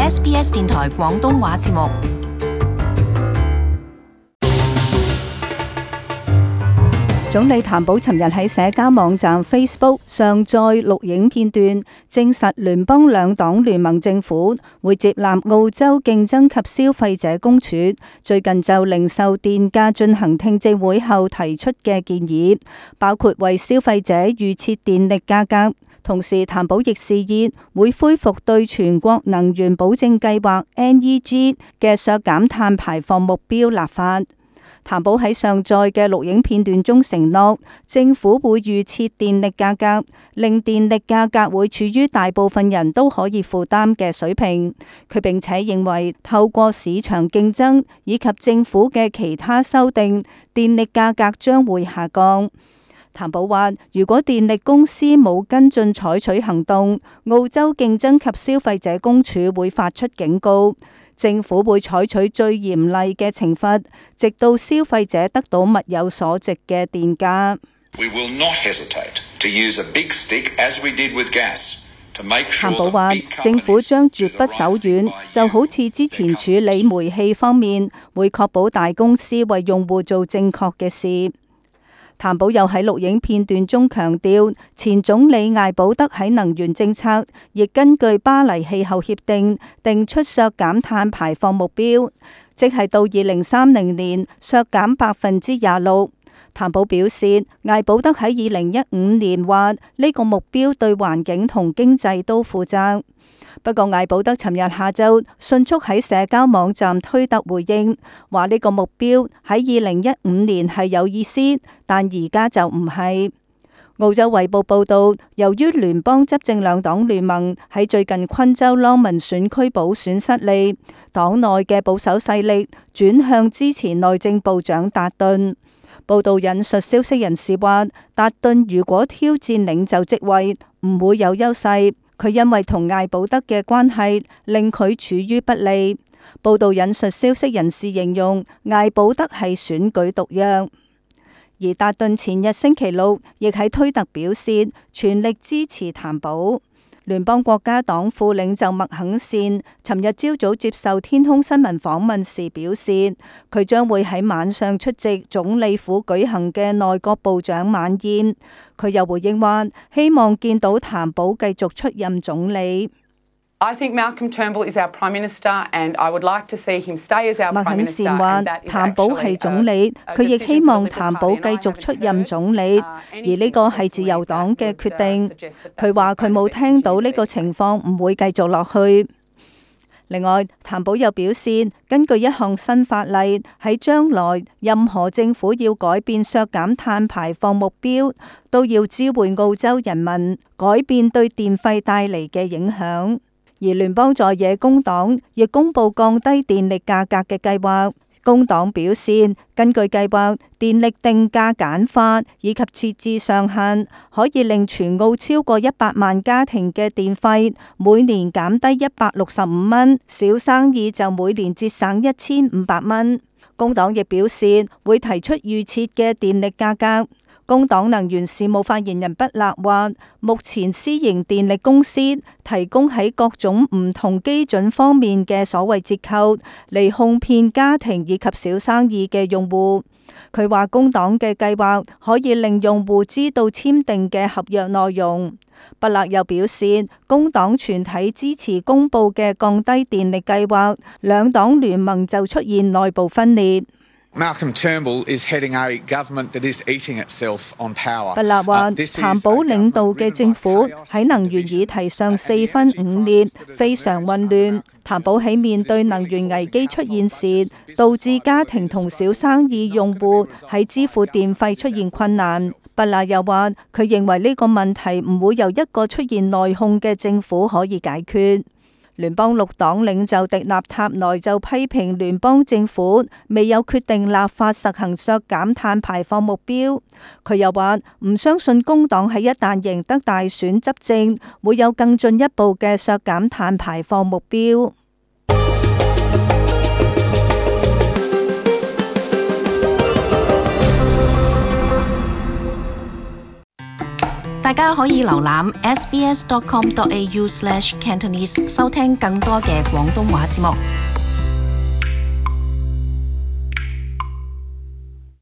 SBS 電台廣東話節目。總理譚寶尋日喺社交網站 Facebook 上載錄影片段，證實聯邦兩黨聯盟政府會接納澳洲競爭及消費者公署最近就零售電價進行聽證會後提出嘅建議，包括為消費者預設電力價格。同時，譚寶亦示意會恢復對全國能源保證計劃 NEG 嘅削減碳排放目標立法。譚寶喺上載嘅錄影片段中承諾，政府會預設電力價格，令電力價格會處於大部分人都可以負擔嘅水平。佢並且認為，透過市場競爭以及政府嘅其他修訂，電力價格將會下降。譚寶話，如果電力公司冇跟進採取行動，澳洲競爭及消費者公署會發出警告。政府會採取最嚴厲嘅懲罰，直到消費者得到物有所值嘅電價。譚寶話，政府將絕不手軟，就好似之前處理煤氣方面，會確保大公司為用戶做正確嘅事。譚寶又喺錄影片段中強調，前總理艾保德喺能源政策亦根據巴黎氣候協定定出削減碳排放目標，即係到2030年削減26%。譚寶表示，艾保德喺2015年話呢個目標對環境同經濟都負責。不過，艾保德尋日下晝迅速喺社交網站推特回應，話呢個目標喺2015年係有意思，但而家就唔係。澳洲衛報報道，由於聯邦執政兩黨聯盟喺最近昆州朗文選區補選失利，黨內嘅保守勢力轉向支持內政部長達頓。報道引述消息人士話，達頓如果挑戰領袖職位，唔會有優勢。佢因為同艾保德嘅關係令佢處於不利。報道引述消息人士形容艾保德係選舉毒藥。而達頓前日星期六亦喺推特表示全力支持譚寶。聯邦國家黨副領袖麥肯善尋日朝早接受天空新聞訪問時表示，佢將會喺晚上出席總理府舉行嘅內閣部長晚宴。佢又回應話，希望見到譚寶繼續出任總理。I think Malcolm Turnbull is our Prime Minister, and I would like to see him stay as our Prime Minister. 麥肯善話，譚寶係總理，佢亦希望譚寶繼續出任總理，而呢個係自由黨嘅決定。佢話佢冇聽到呢個情況唔會繼續落去。另外，譚寶又表示，根據一項新法例，喺將來任何政府要改變削減碳排放目標，都要知會澳洲人民改變對電費帶嚟嘅影響。而聯邦在野工黨亦公布降低電力價格嘅計劃。工黨表示，根據計劃，電力定價簡化以及設置上限，可以令全澳超過100萬家庭嘅電費每年減低165蚊，小生意就每年節省1500蚊。工黨亦表示會提出預設嘅電力價格。工黨能源事務發言人畢勒話，目前私營電力公司提供喺各種唔同基準方面嘅所謂折扣，嚟哄騙家庭以及小生意嘅用戶。佢話工黨嘅計劃可以令用戶知道簽訂嘅合約內容。畢勒又表示，工黨全體支持公布嘅降低電力計劃，兩黨聯盟就出現內部分裂。Malcolm Turnbull is heading a government that is eating itself on power. 畢勒話，譚寶領導嘅政府喺能源議題上4分5裂，非常混亂。譚寶喺面對能源危機出現時，導致家庭同小生意用戶喺支付電費出現困難。畢勒又話，佢認為呢個問題唔會由一個出現內訌嘅政府可以解決。聯邦綠黨領袖迪納塔內就批評聯邦政府未有決定立法實行削減碳排放目標。佢又話唔相信工黨喺一旦贏得大選執政，會有更進一步嘅削減碳排放目標。大家可以瀏覽 sbs.com.au/Cantonese 收聽更多嘅廣東話節目。